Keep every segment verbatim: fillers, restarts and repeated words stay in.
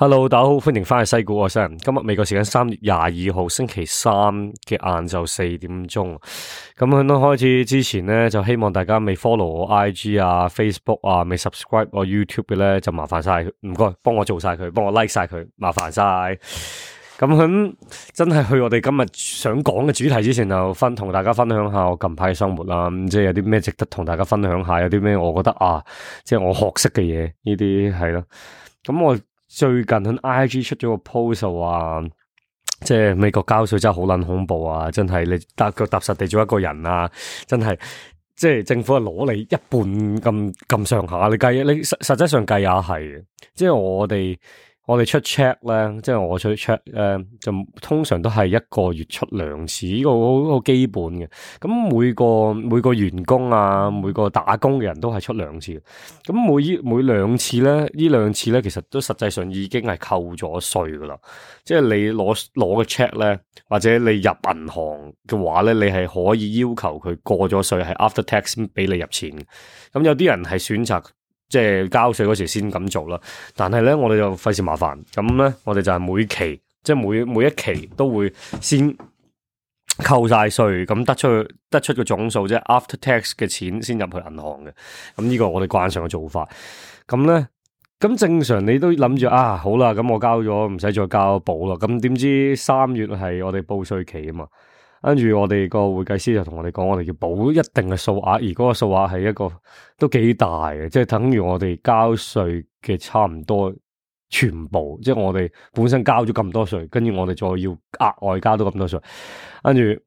Hello，大家好，歡迎翻去西股我西人。今日美國時間三月廿二號星期三嘅晏晝四點鐘。咁喺開始之前咧，就希望大家未 follow 我 I G 啊、Facebook 啊、未 subscribe 我 YouTube 嘅咧，就麻煩晒，唔該，幫我做晒佢，幫我 like 晒佢，麻煩晒。咁喺真係去我哋今日想講嘅主題之前，就分同大家分享下我近排嘅生活啦。咁即係有啲咩值得同大家分享下，有啲咩我覺得啊，即係我學識嘅嘢，呢啲係咯。咁我最近喺 I G 出咗個 post 就話，即係美國交稅真係好撚恐怖啊！真係你踏腳踏實地做一個人啊，真係即係政府係攞你一半咁咁上下，你計你實實際上計下係，即係我哋。我哋出 check 咧，即係我出 check 咧，就通常都係一個月出兩次，呢個好好基本嘅。咁每個每個員工啊，每個打工嘅人都係出兩次。咁每每兩次咧，呢兩次咧，其實都實際上已經係扣咗稅噶啦。即係你攞攞個 check 咧，或者你入銀行嘅話咧，你係可以要求佢過咗稅，係 after tax 俾你入錢。咁有啲人係選擇。即係交稅嗰時先咁做啦，但係咧我哋就費事麻煩，咁咧我哋就係每期，即係每每一期都會先扣晒稅，咁得出得出個總數，即係 after tax 嘅錢先入去銀行嘅，咁呢個我哋慣常嘅做法。咁咧，咁正常你都諗住啊，好啦，咁我交咗，唔使再交保啦。咁點知三月係我哋報稅期啊嘛。跟住我哋個會計師就同我哋講，我哋要補一定嘅數額，而嗰個數額係一個都幾大嘅，即係等於我哋交稅嘅差唔多全部，即係我哋本身交咗咁多稅，跟住我哋再要額外交到咁多稅，跟住，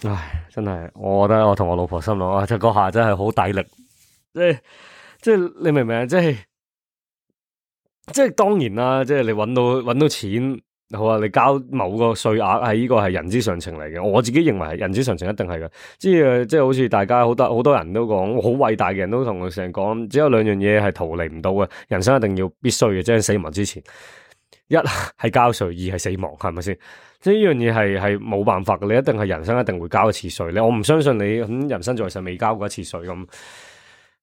唉，真係，我覺得我同我老婆心諗啊，即係嗰下真係好抵力，即係即係你明唔明啊？即係即係當然啦，即係你搵到搵到錢。好啊！你交某個稅額係呢個係人之常情嚟嘅，我自己認為係人之常情，一定係嘅。即係即係好似大家好多好多人都講，好偉大嘅人都同佢成日講，只有兩樣嘢係逃離唔到嘅，人生一定要必須嘅，即係死亡之前，一係交稅，二係死亡，係咪先？即係呢樣嘢係係冇辦法嘅，你一定係人生一定會交一次稅。你我唔相信你咁人生在世未交過一次稅咁。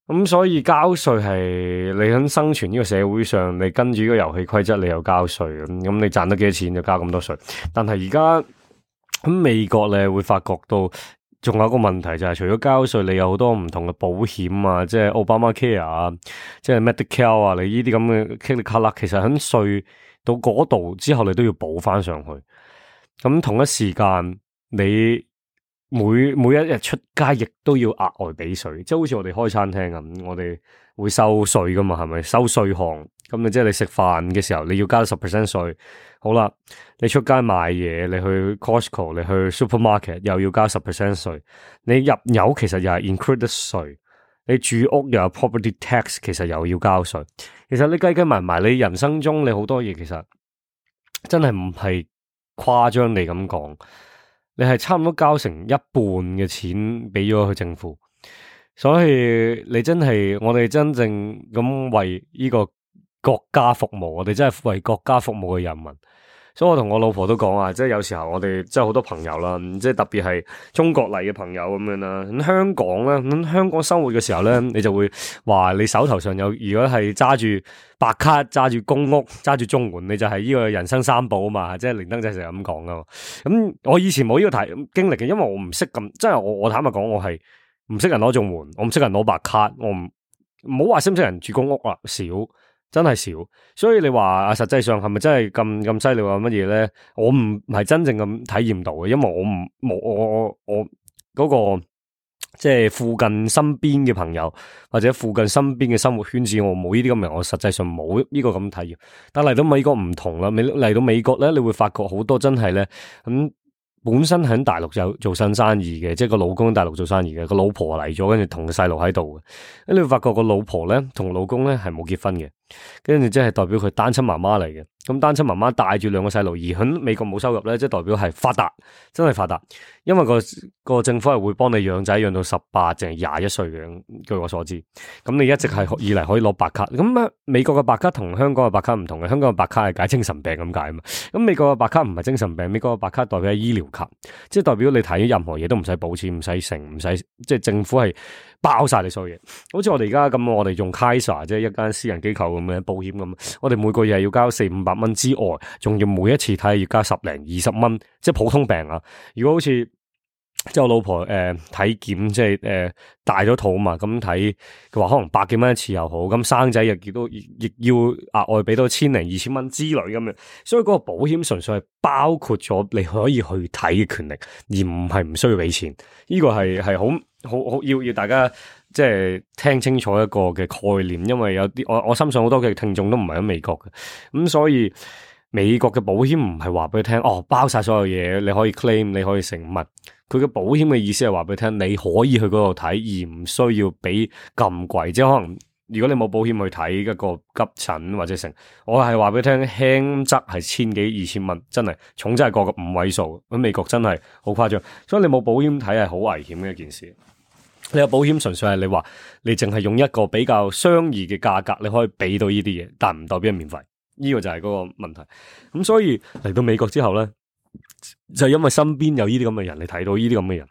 咁所以交稅係你喺生存呢個社會上，你跟住呢個遊戲規則，你又交稅咁，咁你賺得幾多錢就交咁多稅。但係而家喺美國你會發覺到，仲有一個問題就係，除咗交稅，你有好多唔同嘅保險啊，即係 Obamacare 啊，即係 Medicare 啊，你呢啲咁嘅 click 其實喺稅到嗰度之後，你都要補翻上去。咁同一時間你。每每一日出街亦都要額外俾稅，即係好似我哋開餐廳咁，我哋會收稅噶嘛，係咪收稅項？咁你即係你食飯嘅時候，你要交十 percent 稅。好啦，你出街買嘢，你去 Costco， 你去 supermarket 又要交十 percent 稅。你入油其實又係 include 稅，你住屋又有 property tax， 其實又要交稅。其實你計計埋埋，你人生中你好多嘢其實真係唔係誇張地咁講。你係差唔多交成一半嘅錢俾咗去政府，所以你真係我哋真正咁為呢個國家服務，我哋真係為國家服務嘅人民。所以我同我老婆都講啊，即係有時候我哋即係好多朋友啦，即係特別係中國嚟嘅朋友咁樣啦。咁香港咧，咁香港生活嘅時候咧，你就會話你手頭上有，如果係揸住白卡、揸住公屋、揸住綜援，你就係呢個人生三寶啊嘛。即係連登仔成日咁講噶嘛。咁我以前冇呢個題經歷嘅，因為我唔識咁，即係我我坦白講，我係唔識人攞綜援，我唔識人攞白卡，我唔唔好話識唔識人住公屋啦，少。真係少，所以你話啊，實際上係咪真係咁咁犀利啊？乜嘢咧？我唔係真正咁體驗到嘅，因為我唔冇我我我嗰個即係附近身邊嘅朋友或者附近身邊嘅生活圈子，我冇呢啲咁嘅，我實際上冇呢個咁體驗。但嚟到美國唔同啦，美嚟到美國咧，你會發覺好多真係咧咁。本身喺大陸就做新生意嘅，即係個老公喺大陸做生意嘅，個老婆嚟咗，跟住同個細路喺度嘅。咁你會發覺個老婆咧同老公咧係冇結婚嘅，跟住即係代表佢單親媽媽嚟嘅。咁單親媽媽帶住兩個細路，而喺美國冇收入咧，即係代表係發達，真係發達。因為個個政府係會幫你養仔養到十八定係廿一歲嘅，據我所知。咁你一直係以嚟可以攞白卡。咁啊，美國嘅白卡同香港嘅白卡唔同嘅，香港嘅白卡係解精神病咁解啊嘛。咁美國嘅白卡唔係精神病，美國嘅白卡代表係醫療卡，即係代表你睇任何嘢都唔使補錢，唔使成，唔使即係政府係包晒你所有嘢。好似我哋而家咁，我哋用 Kaiser 即係一間私人機構咁嘅保險咁，我哋每個月係要交四五百蚊之外，仲要每一次睇要交十零二十蚊，即係普通病啊。如果好似即係我老婆誒、呃、體檢，即係誒、呃、大咗肚嘛，咁睇佢話可能百幾蚊一次又好，咁生仔又亦都亦要額外俾到千零二千蚊之類咁樣，所以嗰個保險純粹係包括咗你可以去睇嘅權利，而唔係唔需要俾錢。呢、這個係係好好好要要大家即係聽清楚一個嘅概念，因為有啲我我相信好多嘅聽眾都唔係喺美國嘅，咁所以美國嘅保險唔係話俾你聽哦包晒所有嘢，你可以 claim 你可以成物。佢嘅保險嘅意思係話俾你聽，你可以去嗰度睇，而唔需要俾咁貴。即係可能如果你冇保險去睇一個急診或者成，我係話俾你聽，輕則係千幾二千蚊，真係重則係過個五位數。喺美國真係好誇張，所以你冇保險睇係好危險嘅一件事。你有保險純粹係你話你淨係用一個比較相宜嘅價格，你可以俾到呢啲嘢，但唔代表係免費。呢個就係嗰個問題。咁所以嚟到美國之後咧，就因為身邊有呢啲咁嘅人，你睇到呢啲咁嘅人，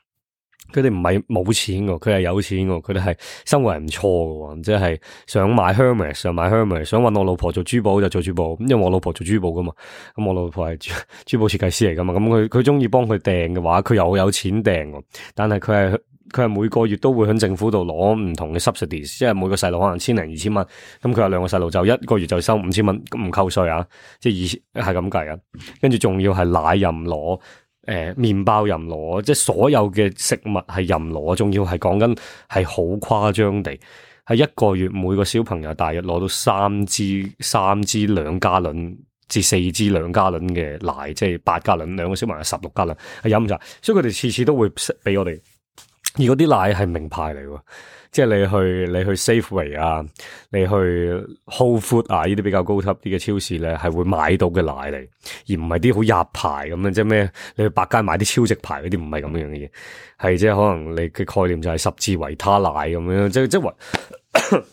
佢哋唔係冇錢嘅，佢係有錢嘅，佢哋係生活係唔錯嘅，即係想買 Hermes 想買 Hermes， 想搵我老婆做珠寶就做珠寶，因為我老婆做珠寶噶嘛，咁我老婆係珠珠寶設計師嚟噶嘛，咁佢佢中意幫佢訂嘅話，佢又有錢訂，但係佢係。佢係每個月都會喺政府度攞唔同嘅 subsidies， 即係每個細路可能千零二千蚊，咁佢有兩個細路就一個月就收五千蚊，咁唔扣稅啊，即係二係咁計啊，跟住仲要係奶任攞，誒、呃、麵包任攞，即係所有嘅食物係任攞，仲要係講緊係好誇張地，係一個月每個小朋友大約攞到三支三支兩加侖至四支兩加侖嘅奶，即係八加侖，兩個小朋友十六加侖係飲晒，所以佢哋次次都會俾我哋。而嗰啲奶係名牌嚟喎，即係你去你去 Safeway 啊，你去 Whole Food 啊，呢啲比較高級啲嘅超市咧，係會買到嘅奶嚟，而唔係啲好入牌咁樣，即係咩？你去百佳買啲超值牌嗰啲，唔係咁樣嘅嘢，係即係可能你嘅概念就係十字維他奶咁樣，即係即係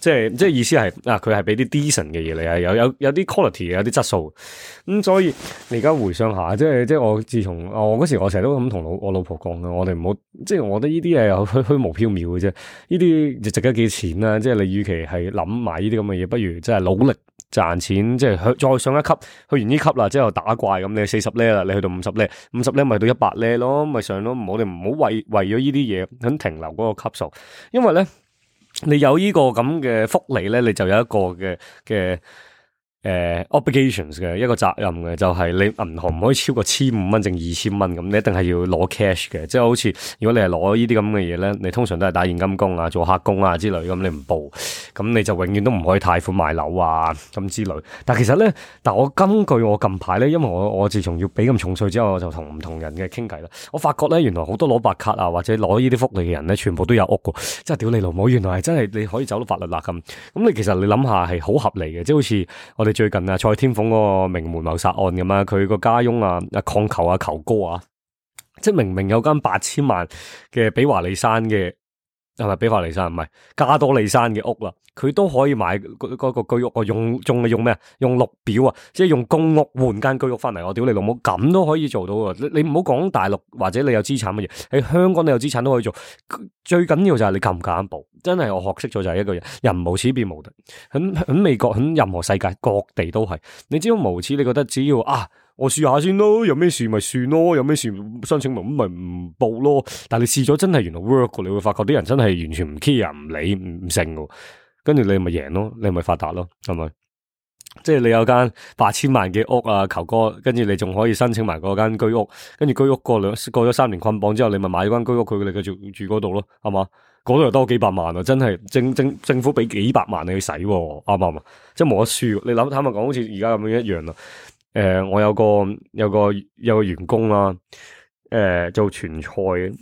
即係即係意思係啊，佢係俾啲 decent 嘅嘢嚟啊，有有有啲 quality 有啲質素，咁、嗯、所以你而家回想下，即係即係我自從我嗰時我成日都咁同老我老婆講嘅，我哋唔好即係我覺得呢啲係虛虛無縹緲嘅啫，呢啲就值得幾錢啦，即係你與其係諗埋呢啲咁嘅嘢，不如即係努力賺錢，即係再上一級，去完呢級啦，之後打怪咁，你四十 level 啦，你去到五十 level，五十 level 咪到一百 level咯，咪上咯，我哋唔好為為咗呢啲嘢咁停留嗰個級數，因為咧。你有呢個咁嘅福利咧，你就有一個嘅嘅誒 obligations 嘅一個責任嘅，就係、是、你銀行唔可以超過千五蚊定二千蚊咁，你一定係要攞 cash 嘅，即係好似如果你係攞呢啲咁嘅嘢咧，你通常都係打現金工啊、做黑工啊之類咁，你唔報，咁你就永遠都唔可以貸款買樓啊咁之類。但係其實咧，但我根據我近排咧，因為我我自從要俾咁重稅之後，我就同唔同人嘅傾偈啦，我發覺咧原來好多攞白卡啊或者攞呢啲福利嘅人咧，全部都有屋噶，即係屌你老母，原來係真係你可以走到法律罅咁。咁你其實你諗下係好合理嘅，即係好似我哋最近啊蔡天鳳嗰個名門謀殺案咁啊，佢個家翁啊啊礦球啊球哥啊，即係明明有間八千萬嘅比華利山嘅。係咪比華利山唔係加多利山嘅屋啦？佢都可以買嗰嗰個居屋啊！用仲係用咩啊？用綠表啊！即係用公屋換間居屋翻嚟。我屌你老母，咁都可以做到啊！你你唔好講大陸或者你有資產乜嘢，喺香港你有資產都可以做。最緊要就係你敢唔敢報？真係我學識咗就係一個人，人無恥變無敵。喺喺美國，喺任何世界各地都係。你只要無恥，你覺得只要啊。我試下先咯，有咩事咪算咯，有咩事申請咪咁咪唔報咯。但係你試咗真係原來 work，你會發覺啲人真係完全唔 care 唔理唔成嘅，跟住你咪贏咯，你咪發達咯，係咪？即係你有間八千萬嘅屋啊，球哥，跟住你仲可以申請埋嗰間居屋，跟住居屋過兩過咗三年捆綁之後，你咪買咗間居屋，佢哋繼續住嗰度咯，係嘛？嗰度又多幾百萬啊，真係政政政府俾幾百萬你去使，啱唔啱啊？即係冇得輸。你諗坦白講，好似而家咁樣一樣啦。誒、呃，我有個有個有個員工啦，誒、呃，做傳菜嘅，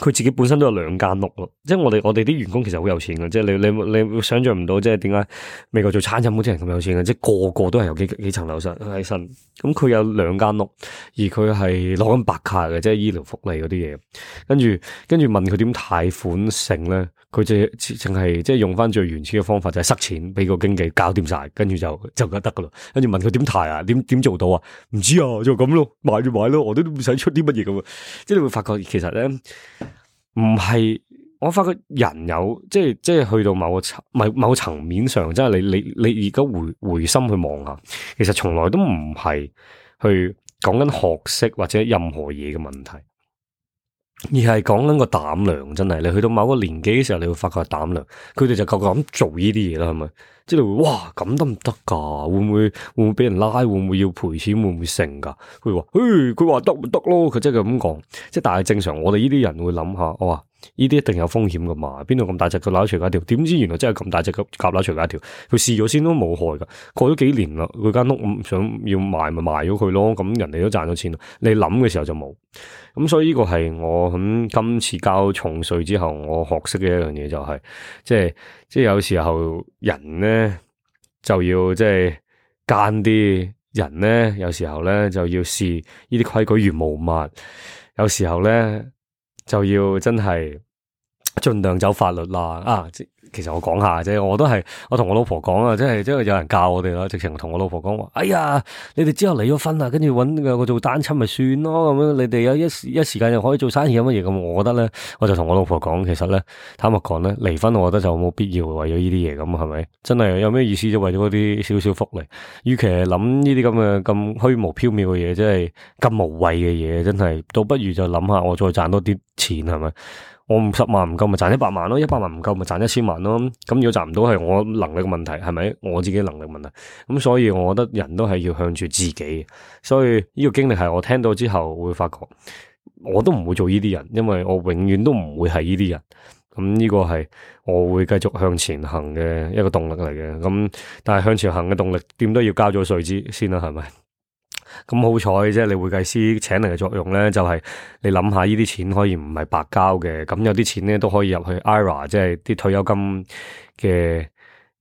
佢自己本身都有兩間屋咯。即係我哋我哋啲員工其實好有錢嘅，即係你你你會想象唔到，即係點解美國做餐飲嗰啲人咁有錢嘅，即係個個都係有幾幾層樓身喺身。咁佢有兩間屋，而佢係攞緊白卡嘅，即係醫療福利嗰啲嘢。跟住跟住問佢點貸款成咧？佢就淨係即係用翻最原始嘅方法，就係塞錢俾個經紀搞掂晒，跟住就就得噶啦。跟住問佢點貸啊？點點做到啊？唔知啊，就咁咯，買就買咯，我都唔使出啲乜嘢咁啊。即係你會發覺，其實咧唔係我發覺人有即係即係去到某個層某某層面上，即係你你你而家回回心去望下，其實從來都唔係去講緊學識或者任何嘢嘅問題，而係講緊個膽量。真係你去到某個年紀嘅時候，你會發覺係膽量。佢哋就夠夠咁做呢啲嘢啦，係咪？即係你會哇咁得唔得噶？會唔會會唔會俾人拉？會唔會要賠錢？會唔會成噶？佢話，誒，佢話得咪得咯？佢真係咁講。即係但係正常，我哋呢啲人會諗下，我話呢啲一定有風險噶嘛？邊度咁大隻蛤乸隨街跳？點知原來真係咁大隻蛤乸隨街跳？佢試咗先都冇害噶。過咗幾年啦，佢間屋想要賣咪賣咗佢咯。咁人哋都賺咗錢啦。你諗嘅時候就冇。咁所以呢個係我喺今次交重稅之後，我學識嘅一樣嘢就係、是，即係即係有時候人咧就要即係奸啲，人咧有時候咧就要視呢啲規矩如無物，有時候咧就要真係盡量走法律啦。啊，其實我講下啫，我都係我同我老婆講啊，即係即係有人教我哋啦，直情同我老婆講話，哎呀，你哋之後離咗婚啊，跟住搵個做單親咪算咯，咁樣你哋有一時一時間又可以做生意有乜嘢咁，我覺得咧，我就同我老婆講，其實咧，坦白講咧，離婚我覺得就冇必要為咗呢啲嘢咁，係咪？真係有咩意思啫？為咗嗰啲少少福利，與其係諗呢啲咁嘅咁虛無縹緲嘅嘢，即係咁無謂嘅嘢，真係倒不如就諗下我再賺多啲錢，係咪？我五十萬唔夠咪賺一百萬咯，一百萬唔夠咪賺一千萬咯。咁如果賺唔到係我能力嘅問題，係咪？我自己能力問題。咁所以我覺得人都係要向住自己。所以呢個經歷係我聽到之後會發覺，我都唔會做呢啲人，因為我永遠都唔會係呢啲人。咁呢個係我會繼續向前行嘅一個動力嚟嘅。咁但係向前行嘅動力點都要交咗稅之先啦，係咪？咁好彩即係你會計師請嚟嘅作用咧，就係、是、你諗下呢啲錢可以唔係白交嘅，咁有啲錢咧都可以入去 I R A， 即係啲退休金嘅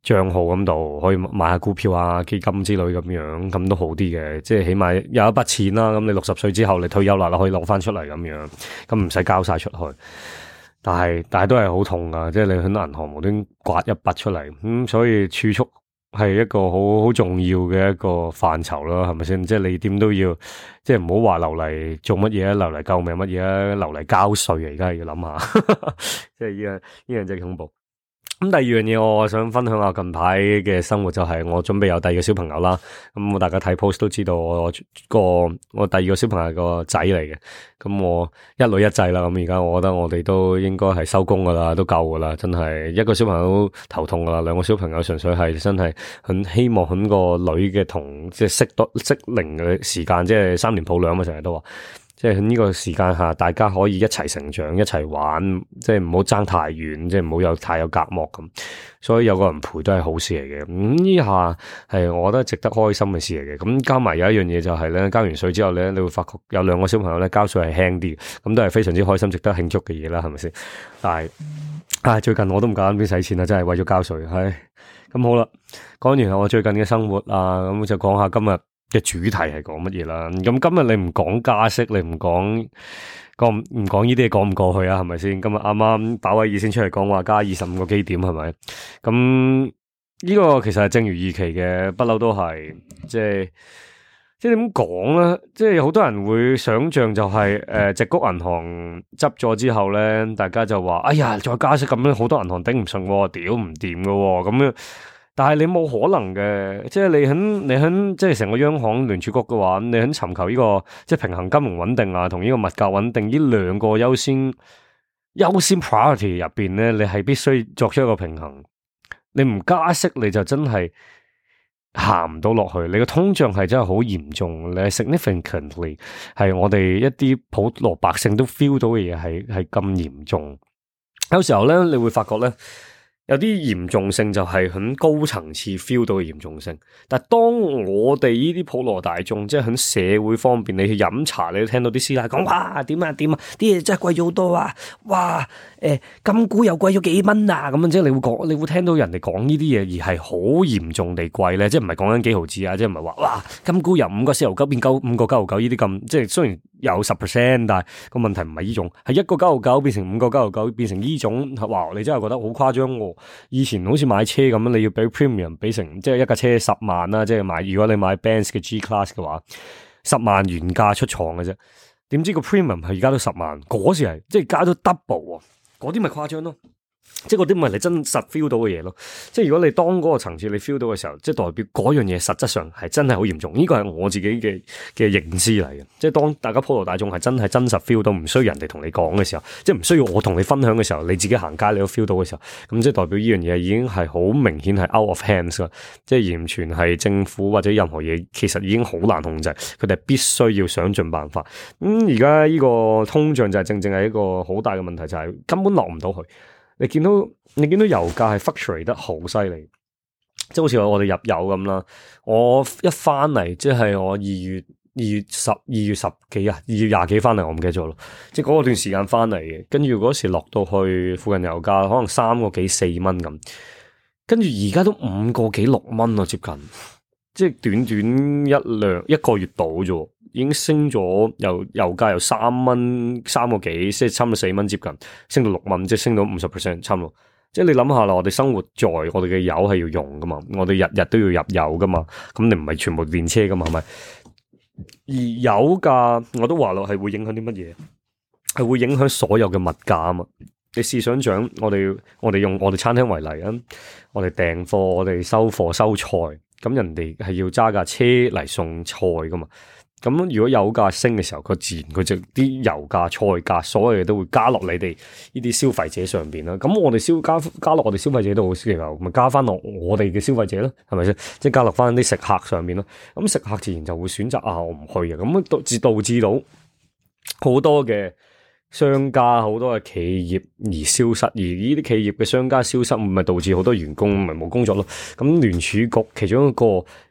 賬號咁度，可以買下股票啊、基金之類咁樣，咁都好啲嘅，即係起碼有一筆錢啦。咁你六十歲之後你退休啦，你可以攞翻出嚟咁樣，咁唔使交晒出去。但係但係都係好痛噶，即係你喺銀行無端刮一筆出嚟，咁、嗯、所以儲蓄係一個好好重要嘅一個範疇啦，係咪先？即係你點都要，即係唔好話留嚟做乜嘢啊，留嚟救命乜嘢啊，留嚟交稅啊！而家係要諗下，即係呢樣呢樣真係恐怖。咁第二樣嘢，我想分享下近排嘅生活，就係我準備有第二個小朋友啦。咁我大家睇 post 都知道我個我第二個小朋友係個仔嚟嘅。咁我一女一仔啦。咁而家我覺得我哋都應該係收工噶啦，都夠噶啦。真係一個小朋友都頭痛噶啦，兩個小朋友純粹係真係很希望喺個女嘅同即係適多適齡嘅時間，即係三年抱兩嘛，成日都話。即係喺呢個時間下，大家可以一齊成長，一齊玩，即係唔好爭太遠，即係唔好有太有隔膜咁。所以有個人陪都係好事嚟嘅。咁呢下係我覺得值得開心嘅事嚟嘅。咁加埋有一樣嘢就係咧，交完稅之後咧，你會發覺有兩個小朋友咧交稅係輕啲，咁都係非常之開心，值得慶祝嘅嘢啦，係咪先？但係啊，最近我都唔夠膽邊使錢啦，真係為咗交稅。唉，咁好啦，講完我最近嘅生活啊，咁就講下今日嘅主題係講乜嘢啦？咁今日你唔講加息，你唔講講唔講呢啲嘢，講唔過去啊？係咪先？今日啱啱鮑威爾先出嚟講話加二十五個基點，係咪？咁呢個其實係正如預期嘅，不嬲都係即係即係點講咧？即係好多人會想象就係、是、誒，矽、呃、谷銀行執咗之後咧，大家就話：哎呀，再加息咁樣，好多銀行頂唔順，屌唔掂噶，咁樣。但係你冇可能嘅，即係你喺你喺即係成個央行聯儲局嘅話，你喺尋求呢個即係平衡金融穩定啊，同呢個物價穩定呢兩個優先優先 priority 入邊咧，你係必須作出一個平衡。你唔加息，你就真係行唔到落去。你個通脹係真係好嚴重，你係 significantly 係我哋一啲普羅百姓都 feel 到嘅嘢，係係咁嚴重。有時候咧，你會發覺咧。有啲嚴重性就係喺高層次 feel 到嘅嚴重性，但係當我哋呢啲普羅大眾，即係喺社會方面，你去飲茶，你都聽到啲師奶講，哇，點啊點啊，啲嘢真係貴咗好多啊，哇，誒、欸，金股又貴咗幾蚊啊，咁樣即係你會講，你會聽到人哋講呢啲嘢，而係好嚴重地貴咧，即係唔係講緊幾毫子啊，即係唔係話哇，金股由五個四毫九變九五個九毫九呢啲咁，即係雖然有十 percent， 但係個問題唔係呢種，係一個九毫九變成五個九毫九變成呢種，哇，你真係覺得好誇張喎。以前好似買車咁樣，你要俾 premium 俾成，即係一架車十萬啦，即係買如果你買 Benz 嘅 G Class 嘅話，十萬原價出廠嘅啫。點知個 premium 係而家都十萬，嗰時係即係加咗 double 喎。嗰啲咪誇張咯。即係嗰啲唔係你真實 feel 到嘅嘢咯，即係如果你當嗰個層次你 feel 到嘅時候，即係代表嗰樣嘢實質上係真係好嚴重，呢個係我自己嘅嘅認知嚟嘅。即係當大家普羅大眾係真係真實 feel 到，唔需要人哋同你講嘅時候，即係唔需要我同你分享嘅時候，你自己行街你都 feel 到嘅時候，咁即係代表呢樣嘢已經係好明顯係 out of hands 啦，即係完全係政府或者任何嘢其實已經好難控制，佢哋必須要想盡辦法。咁而家呢個通脹就係正正係一個好大嘅問題，就係、是、根本落唔到去。你見到你見到油價係 fluctuate 得好犀利，即係好似我哋入油咁啦。我一翻嚟，即係我二月二月十二月十幾啊，二月廿幾翻嚟，我唔記得咗咯。即係嗰段時間翻嚟嘅，跟住嗰時落到去附近油價可能三個幾四蚊咁，跟住而家都五個幾六蚊咯，接近。即係短短一兩一個月到啫，已經升咗由油價由三蚊三個幾，即係差唔多四蚊，接近升到六蚊，即係升到五十 percent 差唔多。即係你諗下啦，我哋生活在我哋嘅油係要用噶嘛，我哋日日都要入油噶嘛，咁你唔係全部電車噶嘛，係咪？而油價我都話咯，係會影響啲乜嘢？係會影響所有嘅物價啊嘛。你試想想，我哋我哋用我哋餐廳為例啊，我哋訂貨，我哋收貨收菜。咁人哋係要揸架車嚟送菜噶嘛？咁如果油價升嘅時候，佢自然佢就啲油價、菜價，所有嘢都會加落你哋呢啲消費者上邊啦。咁我哋消加加落我哋消費者度嘅時候，咪加翻落我哋嘅消費者咯，係咪先？即係加落翻啲食客上面咯。咁食客自然就會選擇啊，我唔去嘅。咁導致導致到好多嘅商家好多嘅企業而消失，而呢啲企業嘅商家消失，咪導致好多員工咪冇工作咯。咁聯儲局其中一個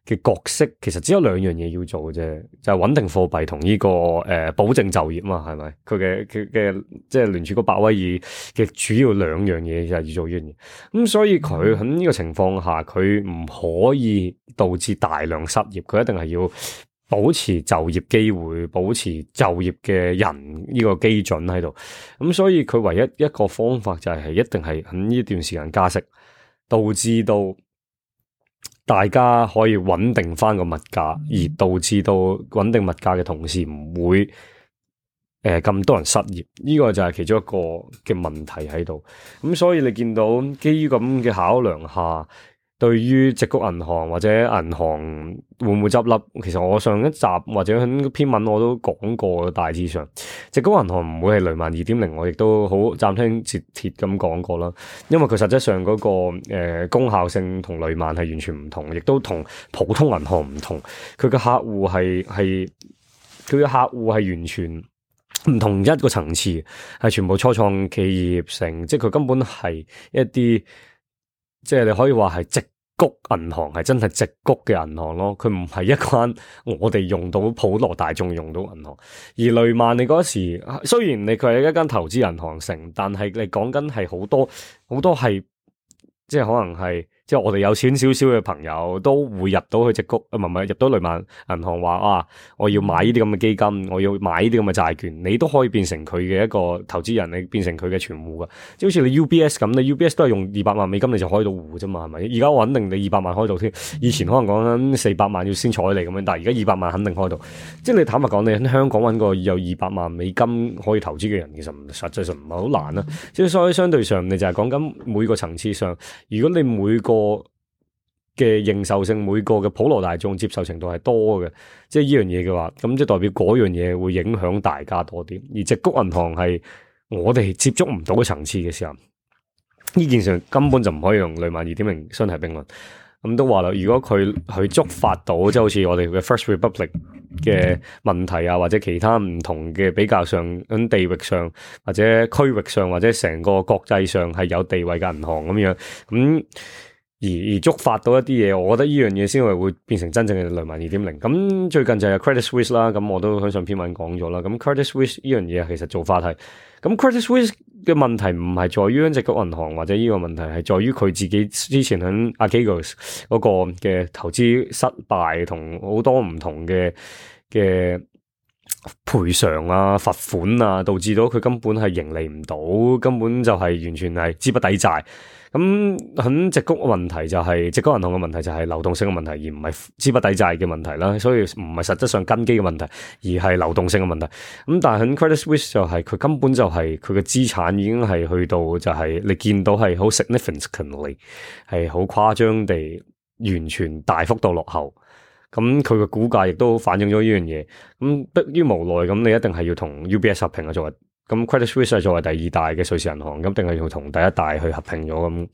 嘅角色，其實只有兩樣嘢要做嘅啫，就係、是、穩定貨幣同呢個誒、呃、保證就業嘛，係咪？佢嘅佢嘅即係聯儲局鮑威爾嘅主要兩樣嘢就係要做呢樣嘢。咁所以佢喺呢個情況下，佢唔可以導致大量失業，佢一定係要保持就業機會，保持就業嘅人呢個基準喺度，咁所以佢唯一一個方法就係一定係喺呢段時間加息，導致到大家可以穩定翻個物價，而導致到穩定物價嘅同時唔會誒咁、呃、多人失業，呢、這個就係其中一個嘅問題喺度。咁所以你見到基於咁嘅考量下，對於矽谷銀行或者銀行會唔會執笠？其實我上一集或者喺篇文我都講過，大致上矽谷銀行唔會係雷曼二點零，我亦都好斬釘截鐵咁講過啦。因為佢實質上嗰、那個誒、呃、功效性同雷曼係完全唔同，亦都同普通銀行唔同。佢嘅客戶係係佢嘅客戶係完全唔同一個層次，係全部初創企業成，即係佢根本係一啲即係你可以話係矽谷銀行係真係矽谷嘅銀行咯，佢唔係一間我哋用到普羅大眾用到銀行。而雷曼你嗰時雖然你佢係一間投資銀行成，但係你講緊係好多好多係即係可能係即係我哋有錢少少嘅朋友都會入到去矽谷，唔係唔係入到雷曼銀行話啊，我要買呢啲咁嘅基金，我要買呢啲咁嘅債券，你都可以變成佢嘅一個投資人，你變成佢嘅存戶噶。即係好似你 U B S 咁，你 U B S 都係用二百萬美金你就開到戶啫嘛，係咪？而家我肯定你二百萬開到添，以前可能講緊四百萬要先睬你咁樣，但係而家二百萬肯定開到。即係你坦白講，你喺香港揾個有二百萬美金可以投資嘅人，其實實際上唔係好難啦。即係所以相對上，你就係講緊每個層次上，如果你每個嘅認受性，每個嘅普羅大眾接受程度係多嘅，即係呢樣嘢嘅話，咁即係代表嗰樣嘢會影響大家多啲。而矽谷銀行係我哋接觸唔到嘅層次嘅時候，呢件事根本就唔可以用雷曼二點零相提並論。咁都話啦，如果佢佢觸發到即係好似我哋嘅 First Republic 嘅問題啊，或者其他唔同嘅比較上喺地域上或者區域上或者成個國際上係有地位嘅銀行咁樣咁。而而觸發到一啲嘢，我覺得呢樣嘢先係會變成真正嘅雷曼二點零。咁最近就係 Credit Suisse 啦，咁我都喺上篇文講咗啦。咁 Credit Suisse 呢樣嘢其實做法係，咁 Credit Suisse 嘅問題唔係在於矽谷銀行或者呢個問題係在於佢自己之前喺 Archegos 嗰個嘅投資失敗同好多唔同嘅嘅賠償啊、罰款啊，導致到佢根本係盈利唔到，根本就係完全係資不抵債。咁喺矽谷嘅問題就係、是、矽谷銀行嘅問題就係流動性嘅問題，而唔係資不抵債嘅問題啦。所以唔係實質上根基嘅問題，而係流動性嘅問題。咁但係喺 Credit Suisse 就係佢根本就係佢嘅資產已經係去到就係你見到係好 significantly 係好誇張地完全大幅度落後。咁佢嘅股價亦都反映咗呢樣嘢。咁迫於無奈，咁你一定係要同 U B S 合併啊，作為。咁 Credit Suisse 係作為第二大嘅瑞士銀行，咁定係要同第一大去合併咗咁。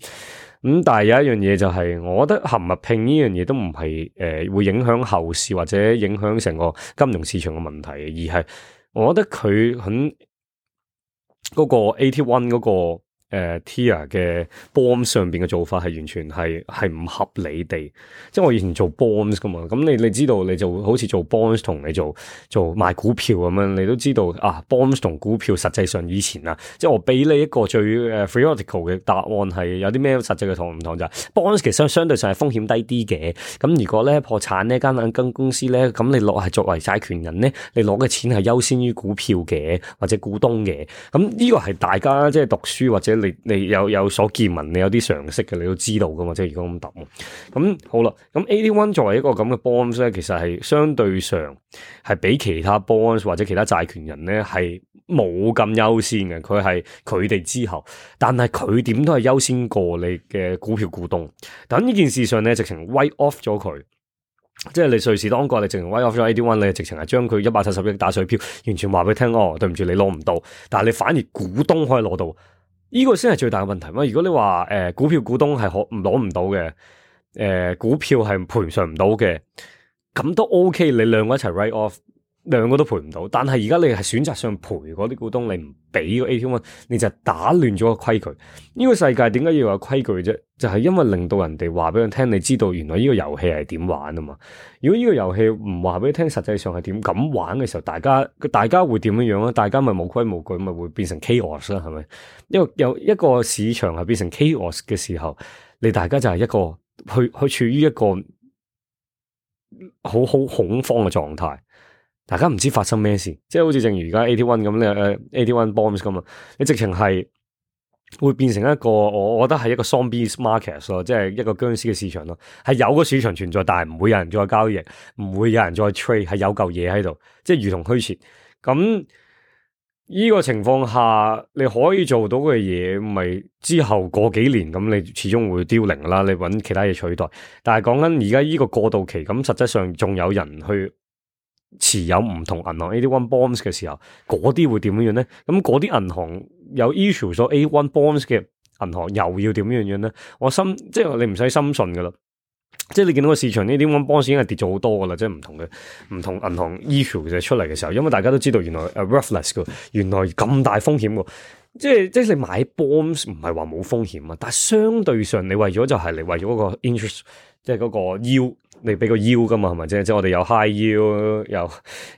咁但係有一樣嘢就係、是，我覺得合唔合併呢樣嘢都唔係誒會影響後市或者影響成個金融市場嘅問題，而係我覺得佢喺嗰個 A T 一嗰個。誒、uh, Tier 嘅 bonds 上邊嘅做法係完全係係唔合理地，即係我以前做 bonds 噶嘛，咁你你知道你就好似做 bonds 同你做做賣股票咁樣，你都知道啊 bonds 同股票實際上以前啊，即係我俾你一個最誒 theoretical 嘅答案係有啲咩實際嘅同唔同就係、是、bonds 其實相相對上係風險低啲嘅，咁如果咧破產呢間間間公司咧，咁你攞係作為債權人咧，你攞嘅錢係優先於股票嘅或者股東嘅，咁呢個係大家即係讀書或者。你你有有所見聞，你有啲常識嘅，你都知道噶嘛？即係如果咁答，咁好啦。咁 A T 一作為一個咁嘅 bonds 咧，其實係相對上係比其他 bonds 或者其他債權人咧係冇咁優先嘅。佢係佢哋之後，但係佢點都係優先過你嘅股票股東。但呢件事上咧，直情 write off 咗佢。即係你瑞士當國，你直情 write off 咗 A T 一，你直情係將佢一百七十億打水漂，完全話俾佢聽哦，對唔住，你攞唔到。但係你反而股東可以攞到。呢個先係最大嘅問題嘛？如果你話誒、呃、股票股東係可唔攞唔到嘅，誒、呃、股票係賠償唔到嘅，咁都 OK。你兩個一齊 write off，兩個都賠唔到。但係而家你係選擇上賠嗰啲股東，你唔俾個 A T 一，你就打亂咗個規矩。呢、這個世界點解要有規矩啫？就係、是、因為令到人哋話俾佢聽，你知道原來呢個遊戲係點玩啊嘛。如果呢個遊戲唔話俾你聽，實際上係點咁玩嘅時候，大家大家會點樣樣啊？大家咪冇規冇矩，咪會變成 chaos 啦，係咪？因為有一個市場係變成 chaos 嘅時候，你大家就係一個去去處於一個好好恐慌嘅狀態。大家唔知發生咩事，即係好似正如而家 A T 一咁咧，誒 A T 一 bombs 咁啊，你直情係會變成一個，我覺得係一個 zombie market 咯，即係一個僵屍嘅市場咯，係有個市場存在，但係唔會有人再交易，唔會有人再 trade，係有嚿嘢喺度，即係如同虛設。咁呢個情況下，你可以做到嘅嘢，咪之後過幾年咁，你始終會凋零啦，你揾其他嘢取代。但係講緊而家呢個過渡期，咁實質上仲有人去持有唔同銀行 A T 一 bonds 嘅時候，嗰啲會點樣樣咧？咁嗰啲銀行有 issue 咗 A T 一 bonds 嘅銀行又要點樣樣咧？我心即係你唔使深信噶啦，即係你見到個市場呢啲 A T 一 bonds 已經係跌咗好多噶啦，即係唔同嘅唔同銀行 issue 嘅出嚟嘅時候，因為大家都知道原來誒 worthless 噶，原來咁大風險噶，即係即係你買 bonds 唔係話冇風險啊，但係相對上你為咗就係你為咗嗰個 interest， 即係嗰個 yield。你俾個 yield 噶嘛，係咪啫？即係我哋有 high yield，有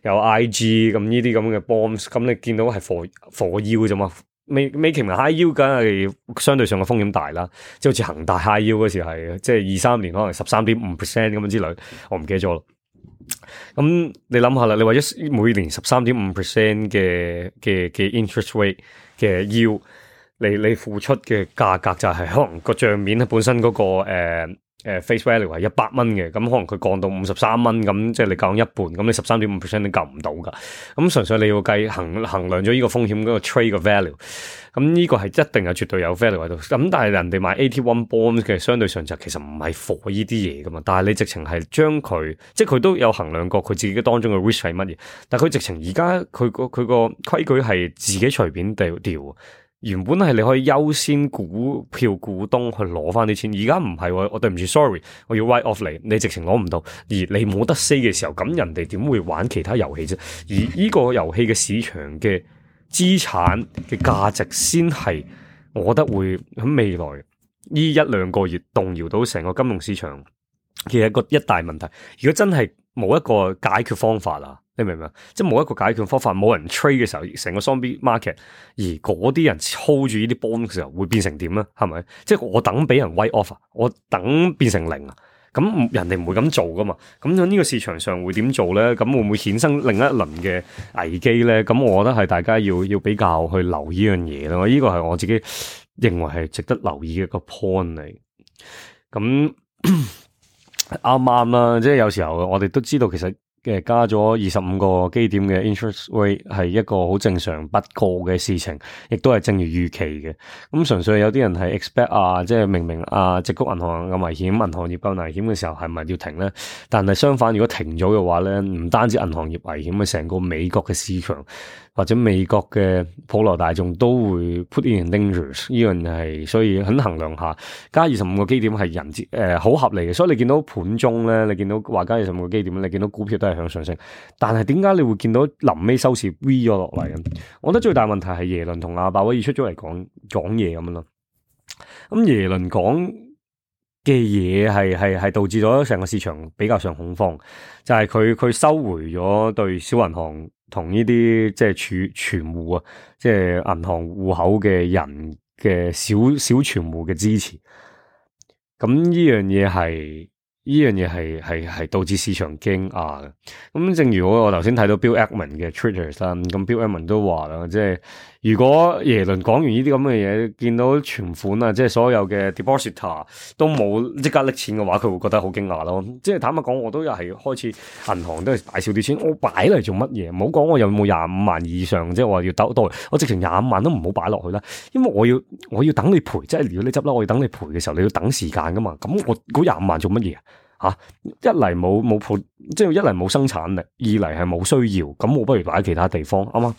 有 I G 咁呢啲咁嘅 bonds，咁你見到係 for for yield 啫嘛？未未其名 high yield，梗係相對上嘅風險大啦。即係好似恒大 high yield 嗰時係，即係二三年可能十三點五 percent 咁樣之類，我唔記得咗咯。咁你諗下啦，你為咗每年十三點五 percent 嘅嘅嘅 interest rate 嘅 yield，你你付出嘅價格就係可能個賬面咧本身嗰、那個誒。呃誒、uh, face value 係一百蚊嘅，咁可能佢降到五十三蚊，咁即係你降一半，咁你十三點五 percent 你救唔到噶。咁純粹你要計衡衡量咗呢個風險嗰個 trade 嘅 value，咁呢個係一定係絕對有 value 喺度。咁但係人哋買 A T 一 bonds 嘅相對上就其實唔係 for 呢啲嘢噶嘛，但係你直情係將佢，即係佢都有衡量過佢自己當中嘅 risk 係乜嘢，但係佢直情而家佢個佢個規矩係自己隨便掉掉。原本係你可以優先股票股東去攞翻啲錢，而家唔係喎，我對唔住 sorry，我要 write off 你，你直情攞唔到，而你冇得 say 嘅時候，咁人哋點會玩其他遊戲啫？而呢個遊戲嘅市場嘅資產嘅價值先係，我覺得會喺未來呢一兩個月動搖到成個金融市場嘅一個一大問題。如果真係冇一個解決方法啦，你明唔明啊？即係冇一個解決方法，冇人 trade 嘅時候，成個 zombie market，而嗰啲人 hold 住呢啲 bond 嘅時候，會變成點咧？係咪？即係我等俾人 write off，我等變成零啊！咁人哋唔會咁做噶嘛。咁喺呢個市場上會點做咧？咁會唔會衍生另一輪嘅危機咧？咁我覺得係大家要要比較去留意呢樣嘢咯。呢個係我自己認為係值得留意嘅一個 point 嚟。咁啱啱啦，即係有時候我哋都知道其實。嘅加咗二十五個基點嘅 interest rate 係一個好正常不過嘅事情，亦都係正如預期嘅。咁純粹有啲人係 expect 啊，即係明明啊，矽谷銀行咁危險，銀行業夠危險嘅時候，係咪要停咧？但係相反，如果停咗嘅話咧，唔單止銀行業危險，係成個美國嘅市場或者美國嘅普羅大眾都會 put in dangers。呢樣係所以很衡量下，加二十五個基點係人之誒好合理嘅。所以你見到盤中咧，你見到話加二十五個基點，你見到股票都係向上升，但係點解你會見到臨尾收市 V 咗落嚟？我覺得最大問題係耶倫同阿鮑威爾出咗嚟講講嘢咁樣咯。咁耶倫講嘅嘢係係係導致咗成個市場比較上恐慌，就係佢佢收回咗對小銀行同呢啲即係儲存戶啊，即係銀行戶口嘅人嘅小小存戶嘅支持。咁呢樣嘢係。呢樣嘢係係係導致市場驚訝嘅。咁正如我我頭先睇到 Bill Ackman 嘅 Twitter 啦，咁 Bill Ackman 都話啦，即係如果耶倫講完呢啲咁嘅嘢，見到存款啊，即係所有嘅 depositor 都冇即刻拎錢嘅話，佢會覺得好驚訝咯。即係坦白講，我都又係開始銀行都係擺少啲錢，我擺嚟做乜嘢？唔好講我有冇廿五萬以上，即係話要兜袋，我直情廿五萬都唔好擺落去啦，因為我要我要等你賠，即係如果你執笠，我要等你賠嘅時候，你要等時間噶嘛。咁我嗰廿五萬做乜嘢啊？吓、啊，一嚟冇冇鋪，即係一嚟冇生產力，二嚟係冇需要，咁我不如擺喺其他地方，啱嘛？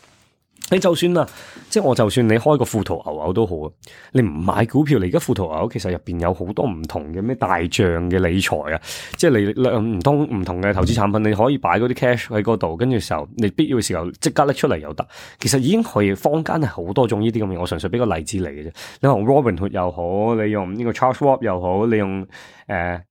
你就算啦，即係我就算你開個富途牛牛都好啊，你唔買股票，你而家富途牛牛其實入邊有好多唔同嘅咩大賬嘅理財啊，即係你唔通唔同嘅投資產品，你可以擺嗰啲 cash 喺嗰度，跟住時候你必要嘅時候即刻拎出嚟又得。其實已經可以坊間係好多種呢啲咁嘅，我純粹俾個例子嚟嘅啫。你用 Robinhood 又好，你用呢個 Charles Schwab 又好，你用誒。呃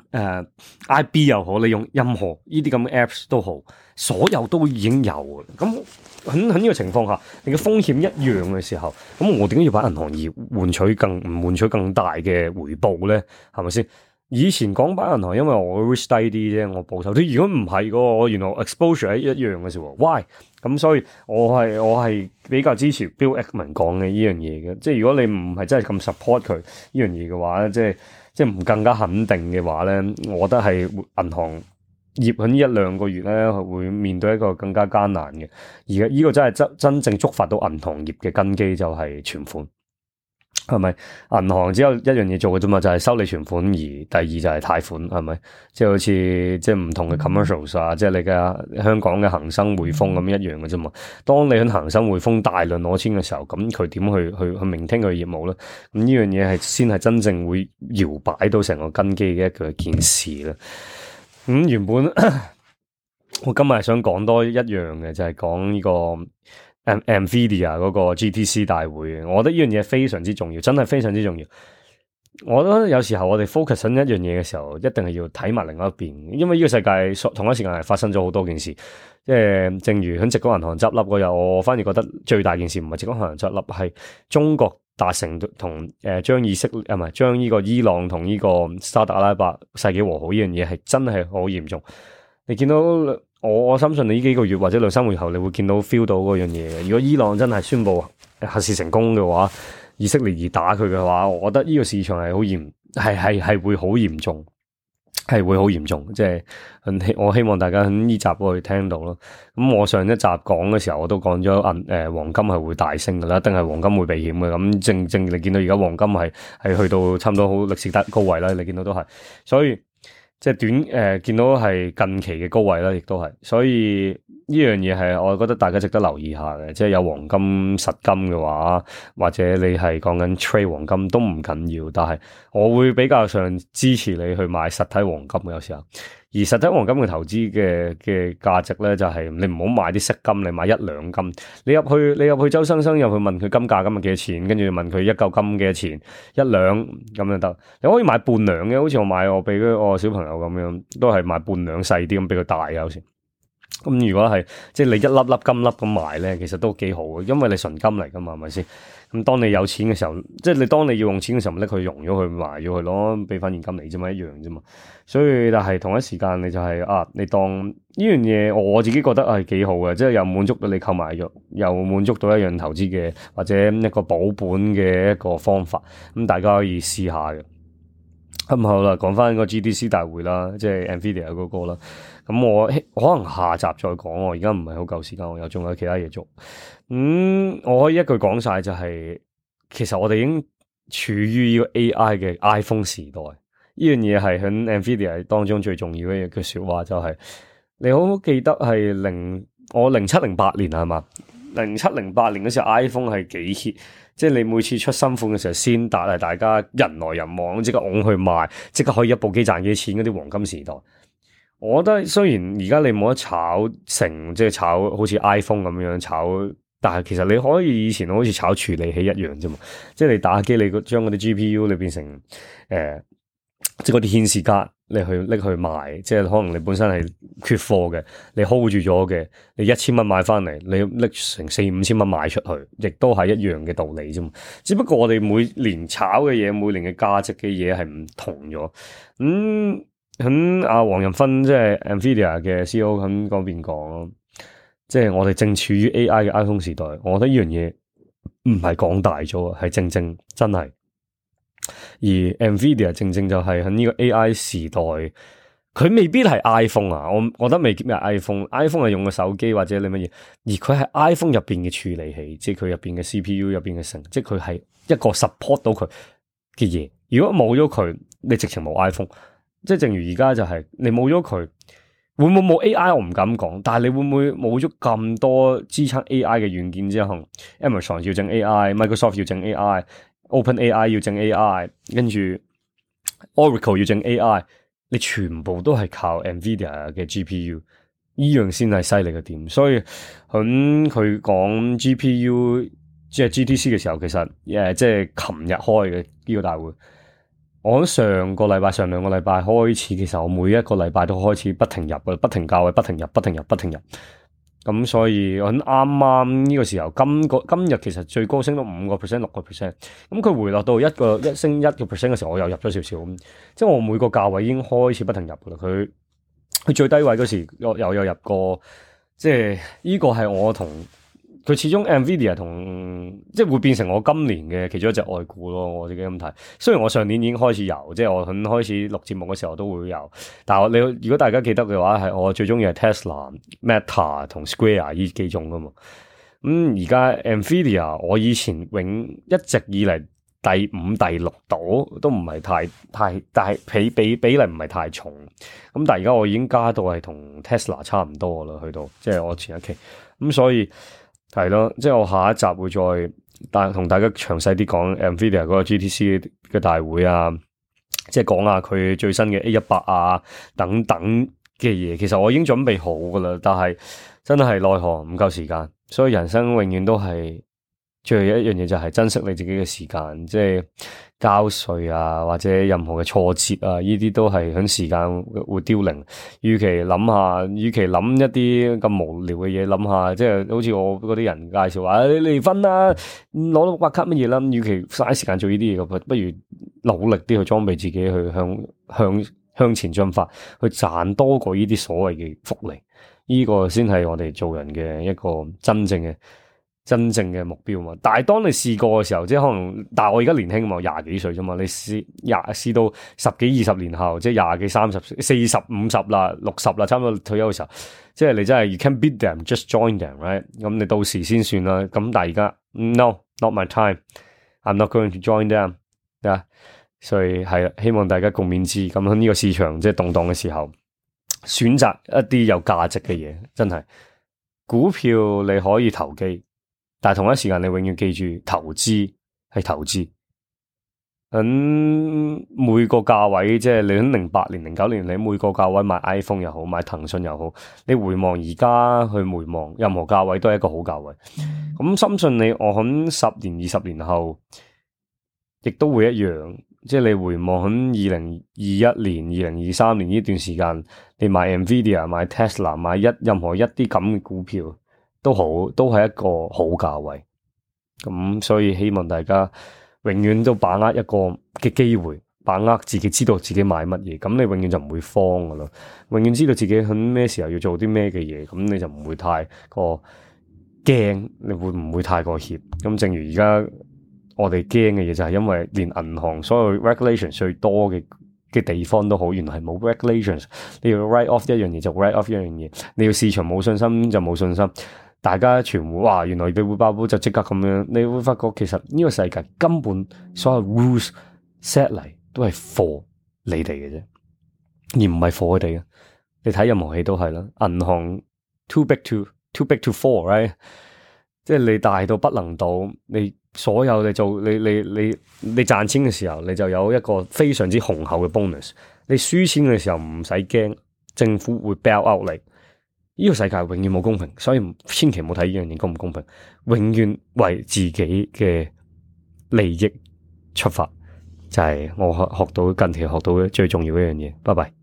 誒、uh, I B 又好，你用任何呢啲咁嘅 apps 都好，所有都已經有嘅。咁喺喺呢個情況下，你嘅風險一樣嘅時候，咁我點解要把銀行業換取更唔換取更大嘅回報咧？係咪先？以前講把銀行，因為我 risk 低啲啫，我保守啲。如果唔係個，我原來 exposure 係一樣嘅時候 why？咁所以我係我係比較支持 Bill Ackman 講嘅呢樣嘢嘅。即係如果你唔係真係咁 support 佢呢樣嘢嘅話，即係。即係唔更加肯定嘅話咧，我覺得係銀行業喺呢一兩個月咧，會面對一個更加艱難嘅。而家呢個真係真真正觸發到銀行業嘅根基，就係存款，係咪？銀行只有一樣嘢做嘅啫嘛，就係收你存款，而第二就係貸款，係咪？即係好似即係唔同嘅 commercials 啊，即係你嘅香港嘅恒生匯豐咁一樣嘅啫嘛。當你喺恒生匯豐大量攞錢嘅時候，咁佢點去去去聆聽佢業務咧？咁呢樣嘢係先係真正會搖擺到成個根基嘅一個件事啦。咁、嗯、原本我今日係想講多一樣嘅，就係講呢個。Nvidia 嗰個 G T C 大會，我覺得呢樣嘢非常之重要，真係非常之重要。我覺得有時候我哋 focus 喺一樣嘢嘅時候，一定係要睇埋另外一邊，因為呢個世界同一時間係發生咗好多件事。即係正如喺矽谷銀行執笠嗰日，我反而覺得最大件事唔係矽谷銀行執笠，係中國達成同誒將以色列啊唔係將呢個伊朗同呢個沙特阿拉伯世紀和好呢樣嘢係真係好嚴重。你見到？我我相信你呢幾個月或者兩三個月後，你會見到 feel 到嗰樣嘢嘅。如果伊朗真係宣布核試成功嘅話，以色列而打佢嘅話，我覺得呢個市場係好嚴，係係係會好嚴重，係會好嚴重。即係我希望大家喺呢集會聽到咯。咁我上一集講嘅時候，我都講咗銀誒黃金係會大升噶啦，一定係黃金會避險嘅。咁正正你見到而家黃金係係去到差唔多好歷史高位啦，你見到都係，所以。即係短誒、呃，見到係近期嘅高位啦，亦都係，所以呢樣嘢係我覺得大家值得留意下嘅。即係有黃金實金嘅話，或者你係講緊 trade 黃金都唔緊要，但係我會比較上支持你去買實體黃金嘅有時候。而實體黃金嘅投資嘅嘅價值咧，就係、是、你唔好買啲飾金，你買一兩金。你入去你入去周生生入去問佢金價今日幾多錢，跟住問佢一嚿金幾多錢，一兩咁就得。你可以買半兩嘅，好似我買我俾我小朋友咁樣，都係買半兩細啲咁俾佢大嘅有時。咁如果係即係你一粒粒金粒咁賣咧，其實都幾好嘅，因為你純金嚟噶嘛，係咪先？咁當你有錢嘅時候，即係你當你要用錢嘅時候，咪拎佢融咗佢賣咗佢咯，俾翻現金嚟啫嘛，一樣啫嘛。所以但係同一時間你就係、是、啊，你當呢樣嘢，我自己覺得係幾好嘅，即係又滿足到你購買欲，又滿足到一樣投資嘅或者一個保本嘅一個方法，咁大家可以試下嘅。咁、嗯、好啦，講翻個 G D C 大會啦，即係 Nvidia 嗰個啦。咁我可能下集再講，我而家唔係好夠時間，我又仲有其他嘢做。咁、嗯、我可以一句講晒就係、是，其實我哋已經處於呢個 A I 嘅 iPhone 時代。呢樣嘢係喺 Nvidia 當中最重要嘅一句說話，就係、是、你好好記得係零我零七零八年係嘛？零七零八年嗰時候 iPhone 係幾 hit。即係你每次出新款嘅時候，先達係大家人來人往，即刻拱去賣，即刻可以一部機賺幾錢嗰啲黃金時代。我覺得雖然而家你冇得炒成，即係炒好似 iPhone 咁樣炒，但係其實你可以以前好似炒處理器一樣啫嘛。即係你打機，你將嗰啲 G P U 你變成誒、呃，即係嗰啲顯示卡。你去拎去賣，即係可能你本身係缺貨嘅，你 hold 住咗嘅，你一千蚊買翻嚟，你拎成四五千蚊賣出去，亦都係一樣嘅道理啫嘛。只不過我哋每年炒嘅嘢，每年嘅價值嘅嘢係唔同咗。咁喺阿黃仁勳即係 Nvidia 嘅 C E O 喺嗰邊講，即係我哋正處於 A I 嘅 iPhone 時代。我覺得呢樣嘢唔係講大咗，係正正真係。而 Nvidia 正正就係喺呢個 A I 時代，佢未必係 iPhone 啊，我我覺得未必係 iPhone，iPhone 係用個手機或者你乜嘢，而佢係 iPhone 入邊嘅處理器，即係佢入邊嘅 C P U 入邊嘅成，即係佢係一個 support 到佢嘅嘢。如果冇咗佢，你直情冇 iPhone。即係正如而家就係、是、你冇咗佢，會唔會冇 A I？我唔敢講，但係你會唔會冇咗咁多支撐 A I 嘅軟件之後 ，Amazon 要整 A I，Microsoft 要整 A I。OpenAI 要整 A I， 跟住 Oracle 要整 A I， 你全部都係靠 Nvidia 嘅 G P U， 呢樣先係犀利嘅點。所以喺佢講 G P U 即係 G T C 嘅時候，其實誒即係琴日開嘅呢個大會。我喺上個禮拜、上兩個禮拜開始，其實我每一個禮拜都開始不停入嘅，不停教嘅，不停入、不停入、不停入。咁所以我啱啱呢個時候，今個今日其實最高升到五個 percent、六個 percent。咁佢回落到一個一升一個 percent 嘅時候，我又入咗少少。咁即係我每個價位已經開始不停入噶啦。佢佢最低位嗰時又又有入過，即係呢個係我同佢始終 Nvidia 同即係會變成我今年嘅其中一隻外股咯。我自己咁睇。雖然我上年已經開始有，即係我喺開始錄節目嘅時候都會有，但係你如果大家記得嘅話，係我最中意係 Tesla、Meta 同 Square 呢幾種噶嘛。咁而家 Nvidia 我以前永一直以嚟第五、第六度都唔係太太，但係比比比例唔係太重。咁但係而家我已經加到係同 Tesla 差唔多啦，去到即係我前一期咁，所以。係咯，即係我下一集會再大同大家詳細啲講 Nvidia 嗰個 G T C 嘅大會啊，即係講下佢最新嘅 A 一百啊等等嘅嘢。其實我已經準備好噶啦，但係真係奈何唔夠時間，所以人生永遠都係最後一樣嘢就係珍惜你自己嘅時間，即係交稅啊或者任何嘅挫折啊，呢啲都係響時間會凋零。與其諗下，與其諗一啲咁無聊嘅嘢，諗下即係好似我嗰啲人介紹話，你離婚啦，攞到白卡乜嘢啦，與其嘥時間做呢啲嘢，不如努力啲去裝備自己，去向向向前進發，去賺多過呢啲所謂嘅福利。呢個先係我哋做人嘅一個真正嘅。真正嘅目標嘛，但係當你試過嘅時候，即係可能，但係我而家年輕嘛，廿幾歲啫嘛，你試廿試到十幾二十年後，即係廿幾三十、四十五十啦、六十啦，差唔多退休嘅時候，即係你真係 you can beat them，just join them，right？咁你到時先算啦。咁但係而家 no，not my time，I'm not going to join them，啊，所以係希望大家共勉之。咁喺呢個市場即係動盪嘅時候，選擇一啲有價值嘅嘢，真係股票你可以投機。但係同一時間，你永遠記住投資係投資。咁每個價位，即係你喺零八年、零九年，你每個價位買 iPhone 又好，買騰訊又好，你回望而家去回望，任何價位都係一個好價位。咁深信你，我喺十年、二十年後，亦都會一樣。即係你回望喺二零二一年、二零二三年呢段時間，你買 Nvidia、買 Tesla、買一任何一啲咁嘅股票都好，都係一個好價位。咁所以希望大家永遠都把握一個嘅機會。把握自己知道自己買乜嘢，咁你永遠就唔會慌噶啦。永遠知道自己喺咩時候要做啲咩嘅嘢，咁你就唔會太過驚，你會唔會太過怯？咁正如而家我哋驚嘅嘢就係因為連銀行所有 regulations 最多嘅嘅地方都好，原來係冇 regulations。你要 write off 一樣嘢就 write off 一樣嘢，你要市場冇信心就冇信心。大家全部哇，原來你會爆煲就即刻咁樣，你會發覺其實呢個世界根本所有 rules set 嚟。都係 for 你哋嘅啫，而唔係 for 佢哋嘅。你睇任何戲都係啦，銀行 too big to too big to fall，right？ 即係你大到不能倒，你所有你做你你你你賺錢嘅時候，你就有一個非常之雄厚嘅 bonus。你輸錢嘅時候唔使驚，政府會 bail out 你。呢個世界永遠冇公平，所以千祈唔好睇呢樣嘢公唔公平，永遠為自己嘅利益出發。就係我學學到近期學到嘅最重要一樣嘢，拜拜。